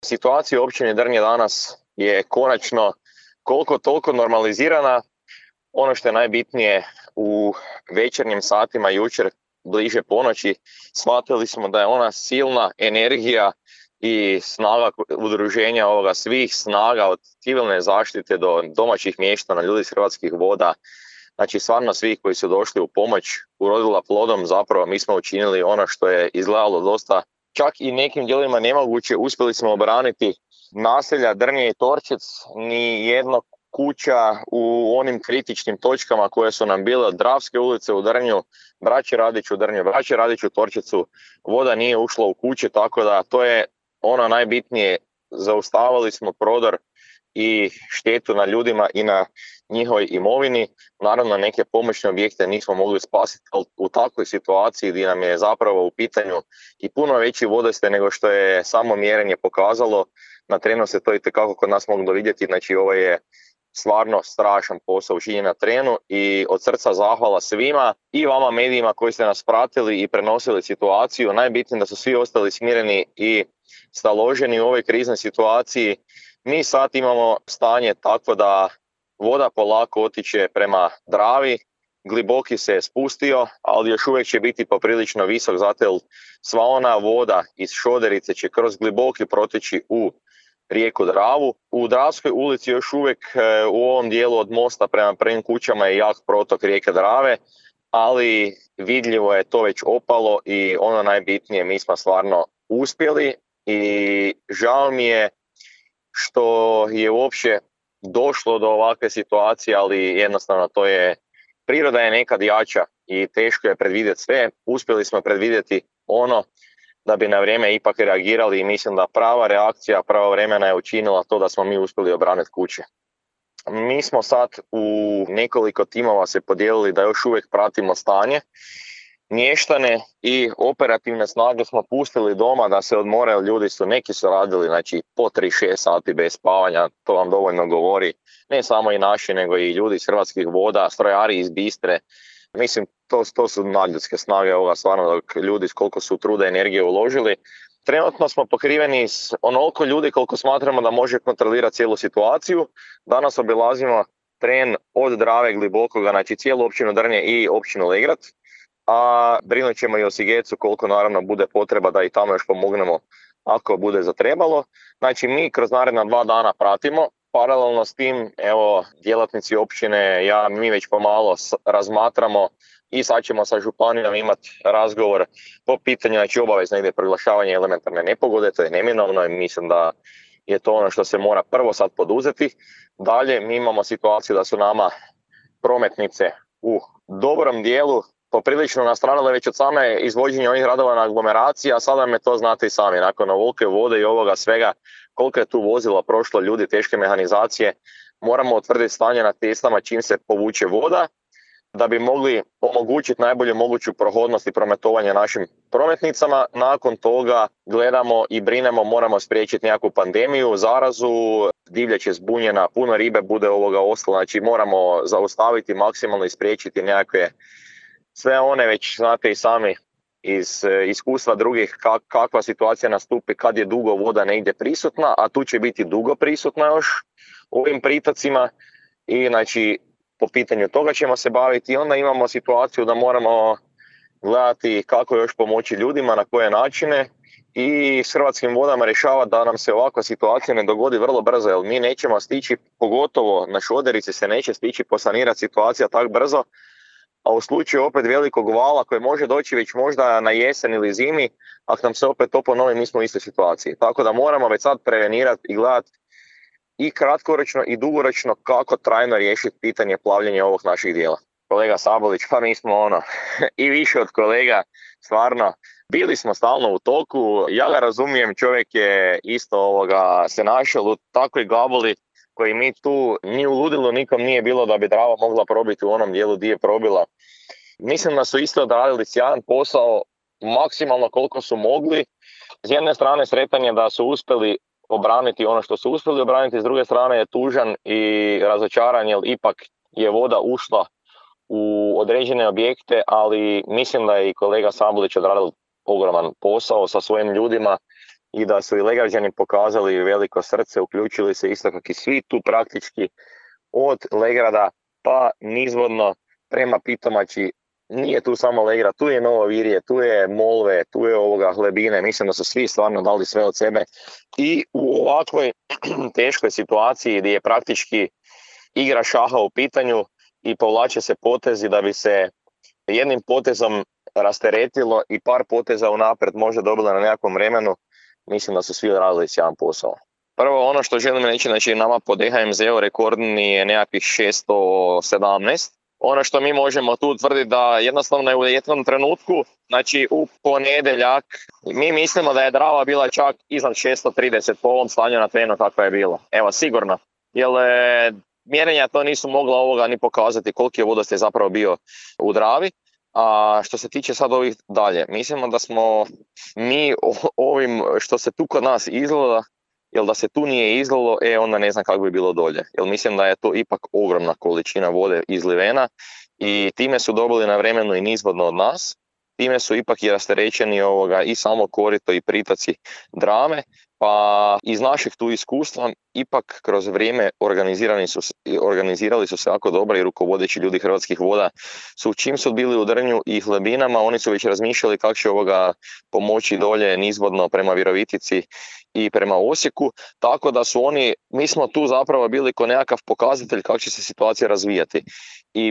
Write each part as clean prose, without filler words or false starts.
Situacija u općini Drnje danas je konačno koliko toliko normalizirana. Ono što je najbitnije, u večernjim satima jučer, bliže ponoći, shvatili smo da je ona silna energija i snaga udruženja ovoga, svih snaga od civilne zaštite do domaćih mještana, ljudi iz Hrvatskih voda, znači stvarno svih koji su došli u pomoć, urodila plodom. Zapravo mi smo učinili ono što je izgledalo dosta, čak i nekim dijelovima nemoguće. Uspjeli smo obraniti naselja Drnje i Torčec. Ni jedna kuća u onim kritičnim točkama koje su nam bile od Dravske ulice u Drnju, Braće Radić u Drnju, Braće Radić u Torčecu, voda nije ušla u kuće, tako da to je ono najbitnije. Zaustavili smo prodor i štetu na ljudima i na njihovoj imovini. Naravno, neke pomoćne objekte nismo mogli spasiti, ali u takvoj situaciji gdje nam je zapravo u pitanju i puno veći vodostaj nego što je samo mjerenje pokazalo, na terenu se to itekako kod nas moglo vidjeti. Znači, ovo je stvarno strašan posao učinjen na terenu i od srca zahvala svima i vama medijima koji ste nas pratili i prenosili situaciju. Najbitnije da su svi ostali smireni i staloženi u ovoj kriznoj situaciji. Mi sad imamo stanje tako da voda polako otiče prema Dravi, Gliboki se je spustio, ali još uvijek će biti poprilično visok, zato jer sva ona voda iz Šoderice će kroz Gliboki proteći u rijeku Dravu. U Dravskoj ulici još uvijek u ovom dijelu od mosta prema prvim kućama je jak protok rijeke Drave, ali vidljivo je to već opalo i ono najbitnije, mi smo stvarno uspjeli i žao mi je što je uopće došlo do ovakve situacije, ali jednostavno to je, priroda je nekad jača i teško je predvidjeti sve. Uspjeli smo predvidjeti ono da bi na vrijeme ipak reagirali i mislim da prava reakcija pravovremena je učinila to da smo mi uspjeli obraniti kuće. Mi smo sad u nekoliko timova se podijelili da još uvijek pratimo stanje. Mještane i operativne snage smo pustili doma da se odmore, ljudi su, neki su radili znači po 3-6 sati bez spavanja, to vam dovoljno govori, ne samo i naši nego i ljudi iz Hrvatskih voda, strojari iz Bistre. Mislim, to su nadljudske snage ovoga, stvarno, dok ljudi s koliko su truda i energije uložili. Trenutno smo pokriveni s onoliko ljudi koliko smatramo da može kontrolirati cijelu situaciju. Danas obilazimo teren od Drave, Glibokoga, znači cijelu općinu Drnje i općinu Legrad, a brinut ćemo i o Sigecu koliko naravno bude potreba da i tamo još pomognemo ako bude zatrebalo. Znači, mi kroz naredna 2 dana pratimo. Paralelno s tim, evo, djelatnici općine, mi već pomalo razmatramo i sad ćemo sa županijom imati razgovor po pitanju, znači obavezno ide proglašavanje elementarne nepogode, to je neminovno i mislim da je to ono što se mora prvo sad poduzeti. Dalje, mi imamo situaciju da su nama prometnice u dobrom dijelu poprilično nastradale već od same izvođenja ovih radova na aglomeraciji, a sada me to znate i sami, nakon ovolike vode i ovoga svega, koliko je tu vozila prošlo, ljudi, teške mehanizacije, moramo utvrditi stanje na cestama čim se povuče voda, da bi mogli omogućiti najbolju moguću prohodnost i prometovanje našim prometnicama. Nakon toga gledamo i brinemo, moramo spriječiti nekakvu pandemiju, zarazu, divljač je zbunjena, puno ribe bude ostalo, znači moramo zaustaviti maksimalno i spriječiti nekakve sve one, već znate i sami iz iskustva drugih kakva situacija nastupi kad je dugo voda negdje prisutna, a tu će biti dugo prisutna još u ovim pritocima i znači po pitanju toga ćemo se baviti. I onda imamo situaciju da moramo gledati kako još pomoći ljudima, na koje načine i s Hrvatskim vodama rješavati da nam se ovakva situacija ne dogodi vrlo brzo, jer mi nećemo stići, pogotovo na Šoderici se neće stići posanirati situacija tako brzo, a u slučaju opet velikog vala koji može doći već možda na jesen ili zimi, ako nam se opet to ponovi, mi smo u istoj situaciji. Tako da moramo već sad prevenirati i gledati i kratkoročno i dugoročno kako trajno riješiti pitanje plavljenja ovog naših dijela. Kolega Sabolić, pa mi smo i više od kolega, stvarno, bili smo stalno u toku, ja ga razumijem, čovjek je isto se našao u takvoj gabuli koji mi tu ni u ludilu nikom nije bilo da bi Drava mogla probiti u onom dijelu gdje je probila. Mislim da su isto odradili sjajan posao, maksimalno koliko su mogli. S jedne strane sretan je da su uspjeli obraniti ono što su uspjeli obraniti, s druge strane je tužan i razočaran jer ipak je voda ušla u određene objekte, ali mislim da je i kolega Sabolić odradil ogroman posao sa svojim ljudima i da su i Legrađani pokazali veliko srce, uključili se isto kako i svi tu praktički od Legrada pa nizvodno prema Pitomači. Nije tu samo Legrad, tu je Novo Virje, tu je Molve, tu je Hlebine, mislim da su svi stvarno dali sve od sebe i u ovakvoj teškoj situaciji gdje je praktički igra šaha u pitanju i povlače se potezi da bi se jednim potezom rasteretilo i par poteza unaprijed možda dobila na nekakvom vremenu, mislim da su svi radili sjajan posao. Prvo, ono što želim reći, znači nama po DHMZ-u rekordni je nekakvih 617. Ono što mi možemo tu tvrditi da jednostavno je u jednom trenutku, znači u ponedjeljak, mi mislimo da je Drava bila čak iznad 630 po ovom stanju na terenu kakva je bilo. Evo, sigurno. Jer mjerenja to nisu mogla ni pokazati koliki je vodostaj zapravo bio u Dravi. A što se tiče sad ovih dalje, mislimo da smo mi ovim što se tu kod nas izgleda, jer da se tu nije izlilo, onda ne znam kako bi bilo dolje. Jer mislim da je to ipak ogromna količina vode izlivena i time su dobili na vremenu i nizvodno od nas. Time su ipak i rasterećeni i samo korito i pritoci Drave, pa iz naših tu iskustva ipak kroz vrijeme organizirali su se jako dobro i rukovodeći ljudi Hrvatskih voda su čim su bili u Drnju i Hlebinama, oni su već razmišljali kako će pomoći dolje nizvodno prema Virovitici i prema Osijeku, tako da su mi smo tu zapravo bili kao nekakav pokazatelj kako će se situacija razvijati i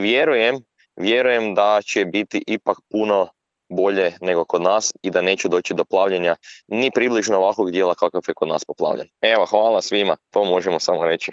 vjerujem da će biti ipak puno bolje nego kod nas i da neće doći do plavljenja ni približno ovakvog dijela kakav je kod nas poplavljen. Evo, hvala svima, to možemo samo reći.